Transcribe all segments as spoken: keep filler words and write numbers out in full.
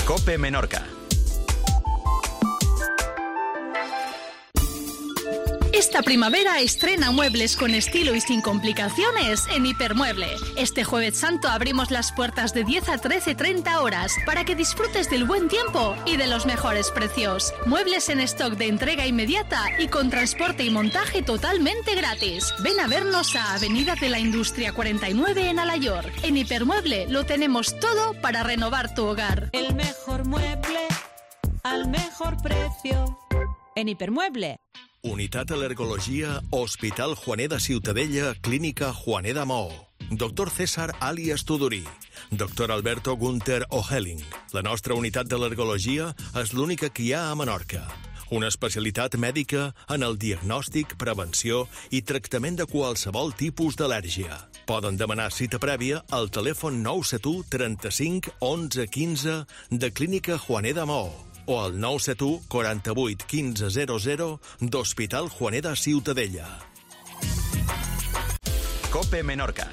COPE Menorca. Esta primavera estrena muebles con estilo y sin complicaciones en Hipermueble. Este Jueves Santo abrimos las puertas de diez a trece treinta horas para que disfrutes del buen tiempo y de los mejores precios. Muebles en stock de entrega inmediata y con transporte y montaje totalmente gratis. Ven a vernos a Avenida de la Industria cuarenta y nueve en Alayor. En Hipermueble lo tenemos todo para renovar tu hogar. El mejor mueble al mejor precio en Hipermueble. Unitat Al·lergologia, Hospital Juaner de Ciutadella, Clínica Juaner de Maó. Doctor César Alias Tudorí. Doctor Alberto Gunther Ohelling. La nostra unitat d'al·lergologia és l'única que hi ha a Menorca. Una especialitat mèdica en el diagnòstic, prevenció i tractament de qualsevol tipus d'al·lèrgia. Poden demanar cita prèvia al telèfon nou set u trenta-cinc onze quinze de Clínica Juaner de Maó o al nou set u quaranta-vuit quinze zero zero d'Hospital Juaner de Ciutadella. COPE Menorca.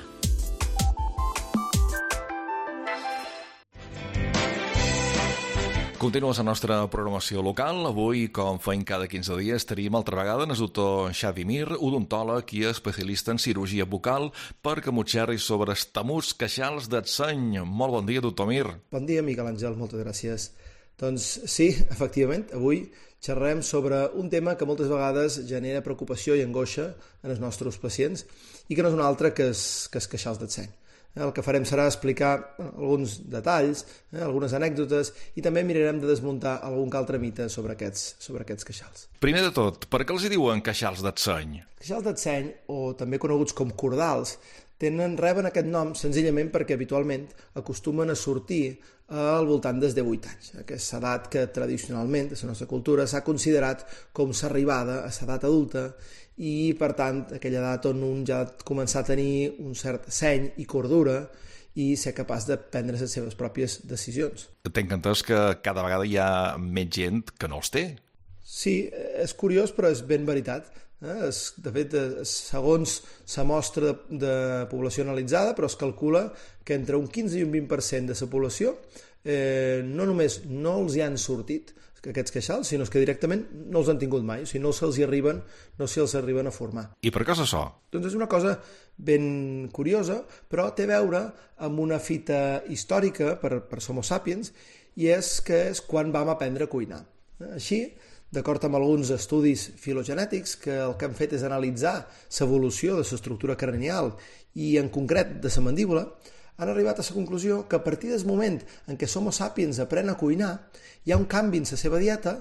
Continues la nostra programació local. Avui, com feim cada quinze dies, tenim altra vegada el doctor Xavi Mir, odontòleg i especialista en cirurgia bucal, per camutxerri sobre estamuts queixals del seny. Molt bon dia, doctor Mir. Bon dia, Miquel Àngel, moltes gràcies. Doncs sí, efectivament, avui xerrarem sobre un tema que moltes vegades genera preocupació i angoixa en els nostres pacients i que no és un altre que és, que és queixals del seny. El que farem serà explicar alguns detalls, eh, algunes anècdotes i també mirarem de desmuntar algun altre mite sobre aquests, sobre aquests queixals. Primer de tot, per què els hi diuen queixals del seny? Queixals del seny, o també coneguts com cordals, tenen, reben aquest nom senzillament perquè habitualment acostumen a sortir al voltant dels divuit anys. Aquesta edat que tradicionalment a la nostra cultura s'ha considerat com s'arribada a l'edat adulta i, per tant, aquella edat on un ja ha de començar a tenir un cert seny i cordura i ser capaç de prendre les seves pròpies decisions. T'he entès que cada vegada hi ha més gent que no els té. Sí, és curiós, però és ben veritat. Eh? Es, de fet, segons la mostra de, de població analitzada, però es calcula que entre un quinze i un vint per cent de la població eh, no només no els hi han sortit aquests queixals, sinó que directament no els han tingut mai, o sigui, no se'ls hi arriben, no se'ls arriben a formar. I per què és això? Doncs és una cosa ben curiosa, però té a veure amb una fita històrica per, per Homo sapiens, i és que és quan vam aprendre a cuinar. Així, d'acord amb alguns estudis filogenètics, que el que han fet és analitzar l'evolució de l'estructura cranial i en concret de la mandíbula, han arribat a la conclusió que a partir del moment en què Homo sapiens aprèn a cuinar, hi ha un canvi en la seva dieta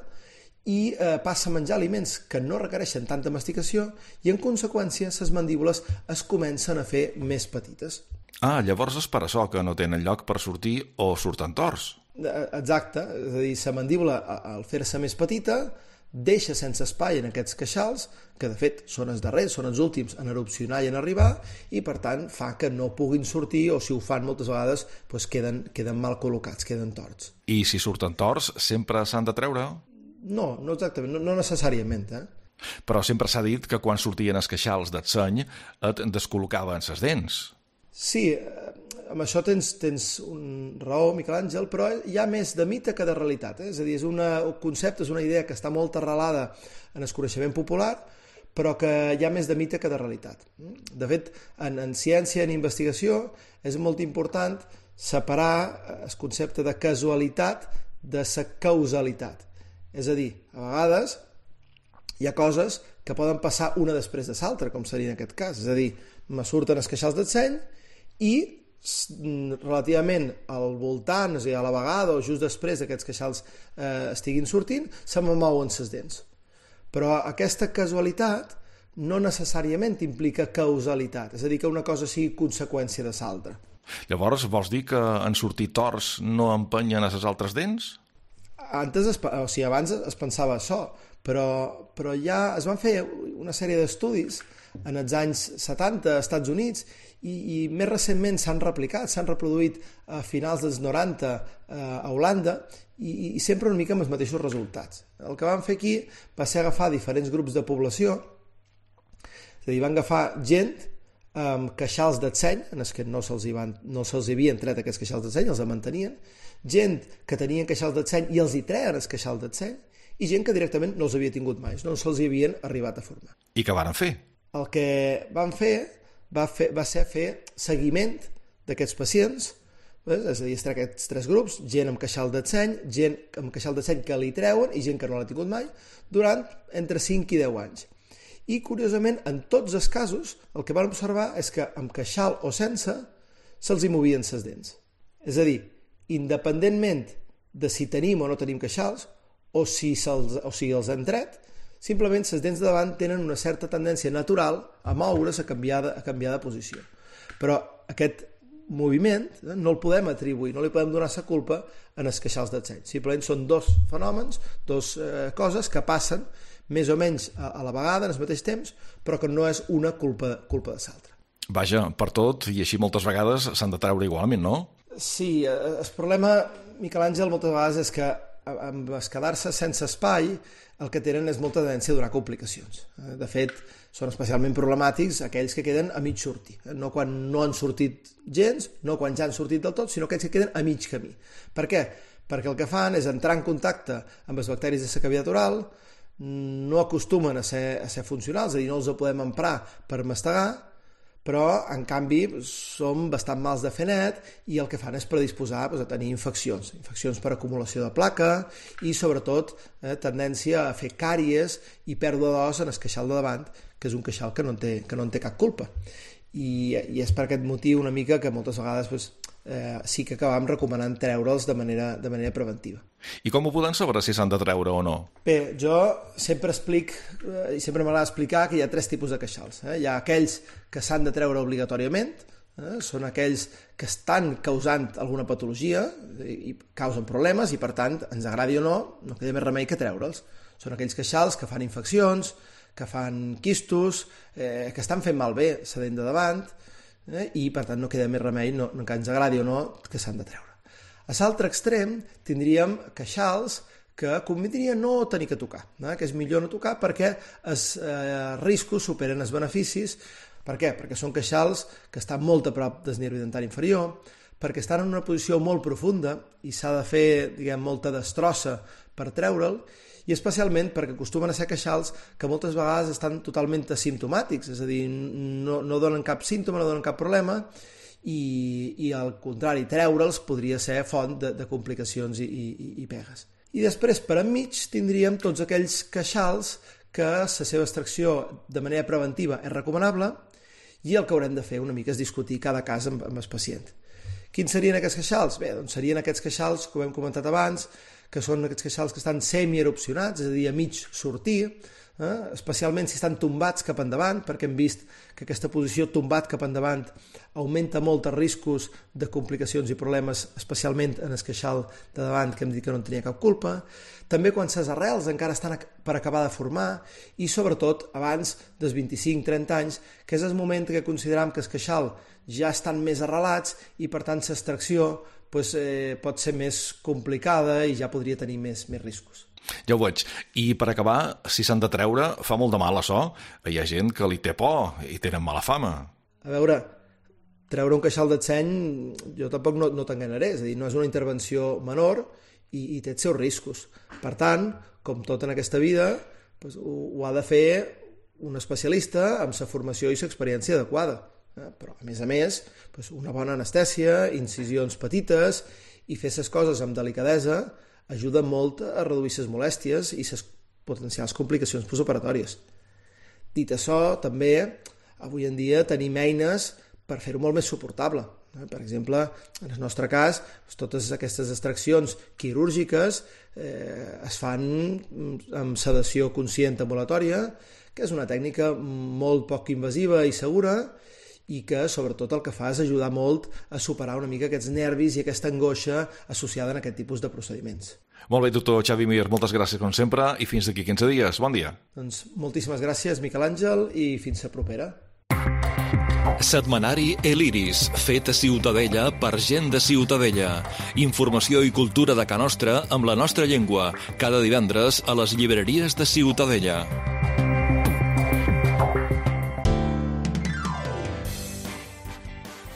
i eh, passa a menjar aliments que no requereixen tanta masticació i, en conseqüència, les mandíbules es comencen a fer més petites. Ah, llavors és per això que no tenen lloc per sortir o surten torts. Exacte, és a dir, la mandíbula, al fer-se més petita, deixa sense espai en aquests queixals, que de fet són els darrers, són els últims en erupcionar i en arribar, i per tant fa que no puguin sortir, o si ho fan moltes vegades doncs queden, queden mal col·locats, queden torts. I si surten torts, sempre s'han de treure? No, no exactament, no, no necessàriament, eh? Però sempre s'ha dit que quan sortien els queixals del seny et descol·locaven les dents. Sí, amb això tens, tens un raó, Miquel Àngel, però hi ha més de mite que de realitat. Eh? És a dir, és una, un concepte, és una idea que està molt arrelada en el coneixement popular, però que hi ha més de mite que de realitat. De fet, en, en ciència i en investigació és molt important separar el concepte de casualitat de la causalitat. És a dir, a vegades hi ha coses que poden passar una després de l'altra, com seria en aquest cas. És a dir, me surten els queixals del seny i relativament al voltant, és a dir, a la vegada o just després d'aquests queixals eh, estiguin sortint, se me mouen les dents. Però aquesta casualitat no necessàriament implica causalitat, és a dir, que una cosa sigui conseqüència de l'altra. Llavors, vols dir que en sortir torts no empenyen a les altres dents? Antes, es, o sigui, abans es pensava això, però, però ja es van fer una sèrie d'estudis en els anys setanta als Estats Units i, i més recentment s'han replicat, s'han reproduït a finals dels noranta a Holanda i, i sempre una mica amb els mateixos resultats. El que van fer aquí va ser agafar diferents grups de població, és a dir, van agafar gent amb queixals d'atzeny, en els que no se'ls hi van, no se'ls hi havien tret aquests queixals d'atzeny, els mantenien, gent que tenien queixals d'atzeny i els hi treien els queixals d'atzeny, i gent que directament no els havia tingut mai, no se'ls hi havien arribat a formar. I què van fer? El que van fer va, fer, va ser fer seguiment d'aquests pacients, és a dir, estar aquests tres grups, gent amb queixal d'atzeny, gent amb queixal d'atzeny que li treuen i gent que no l'ha tingut mai, durant entre cinc i deu anys. I, curiosament, en tots els casos, el que van observar és que amb queixal o sense se'ls hi movien les dents. És a dir, independentment de si tenim o no tenim queixals, o si, o si els han tret, simplement les dents de davant tenen una certa tendència natural a moure's, a canviar de, a canviar de posició. Però aquest moviment eh, no el podem atribuir, no li podem donar la culpa en els queixals d'atzeny. Simplement són dos fenòmens, dos eh, coses que passen més o menys a, a la vegada, en el mateix temps, però que no és una culpa, culpa de l'altra. Vaja, per tot, i així moltes vegades s'han de treure igualment, no? Sí, el problema, Miquel Àngel, moltes vegades és que amb es quedar-se sense espai el que tenen és molta tendència a donar complicacions. De fet, són especialment problemàtics aquells que queden a mig sortir. No quan no han sortit gens, no quan ja han sortit del tot, sinó aquells que queden a mig camí. Per què? Perquè el que fan és entrar en contacte amb els bacteris de la cavitat oral, no acostumen a ser, a ser funcionals, és a dir, no els podem emprar per mastegar, però en canvi som bastant mals de fer net i el que fan és predisposar doncs, a tenir infeccions, infeccions per acumulació de placa i sobretot eh, tendència a fer càries i pèrdua d'os en el queixal de davant, que és un queixal que no en té, que no en té cap culpa. I, i és per aquest motiu una mica que moltes vegades doncs, eh, sí que acabam recomanant treure'ls de manera, de manera preventiva. I com ho podem saber si s'han de treure o no? Bé, jo sempre explic, eh, i sempre m'agrada explicar que hi ha tres tipus de queixals. Eh? Hi ha aquells que s'han de treure obligatòriament, eh? són aquells que estan causant alguna patologia i, i causen problemes i per tant, ens agradi o no, no queda més remei que treure'ls. Són aquells queixals que fan infeccions, que fan quistos, eh, que estan fent malbé la dent de davant eh, i per tant no queda més remei, no, no que ens agradi o no, que s'han de treure. A l'altre extrem tindríem queixals que convindria no tenir que tocar, eh, que és millor no tocar perquè els eh, riscos superen els beneficis. Per què? Perquè són queixals que estan molt a prop del nervi dentari inferior, perquè estan en una posició molt profunda i s'ha de fer, diguem, molta destrossa per treure'l, i especialment perquè acostumen a ser queixals que moltes vegades estan totalment asimptomàtics, és a dir, no, no donen cap símptoma, no donen cap problema, i, i al contrari, treure'ls podria ser font de, de complicacions i, i, i pegues. I després, per enmig, tindríem tots aquells queixals que la seva extracció de manera preventiva és recomanable i el que haurem de fer una mica és discutir cada cas amb, amb el pacient. Quins serien aquests queixals? Bé, doncs serien aquests queixals, com hem comentat abans, que són aquests queixals que estan semi-erupcionats, és a dir, a mig sortir, eh? especialment si estan tombats cap endavant, perquè hem vist que aquesta posició tombat cap endavant augmenta molt els riscos de complicacions i problemes, especialment en el queixal de davant, que hem dit que no en tenia cap culpa. També quan les arrels encara estan per acabar de formar i, sobretot, abans dels vint-i-cinc trenta anys, que és el moment que considerem que el queixal ja estan més arrelats i, per tant, l'extracció pues, eh, pot ser més complicada i ja podria tenir més, més riscos. Ja ho veig. I per acabar, si s'han de treure, fa molt de mal això. Hi ha gent que li té por i tenen mala fama. A veure, treure un queixal d'atzeny jo tampoc no, no t'enganyaré, és a dir, no és una intervenció menor i, i té els seus riscos. Per tant, com tot en aquesta vida, pues, ho, ho ha de fer un especialista amb la formació i l'experiència adequada. Però, a més a més, una bona anestèsia, incisions petites i fer les coses amb delicadesa ajuda molt a reduir les molèsties i les potencials complicacions postoperatòries. Dit això, també, avui en dia tenim eines per fer-ho molt més suportable. Per exemple, en el nostre cas, totes aquestes extraccions quirúrgiques eh, es fan amb sedació conscient ambulatòria, que és una tècnica molt poc invasiva i segura, i que, sobretot, el que fa és ajudar molt a superar una mica aquests nervis i aquesta angoixa associada en aquest tipus de procediments. Molt bé, doctor Xavi Mir, moltes gràcies, com sempre, i fins d'aquí quinze dies. Bon dia. Doncs moltíssimes gràcies, Miquel Àngel, i fins la propera. Setmanari El Iris, fet a Ciutadella per gent de Ciutadella. Informació i cultura de Ca Nostra amb la nostra llengua, cada divendres a les llibreries de Ciutadella.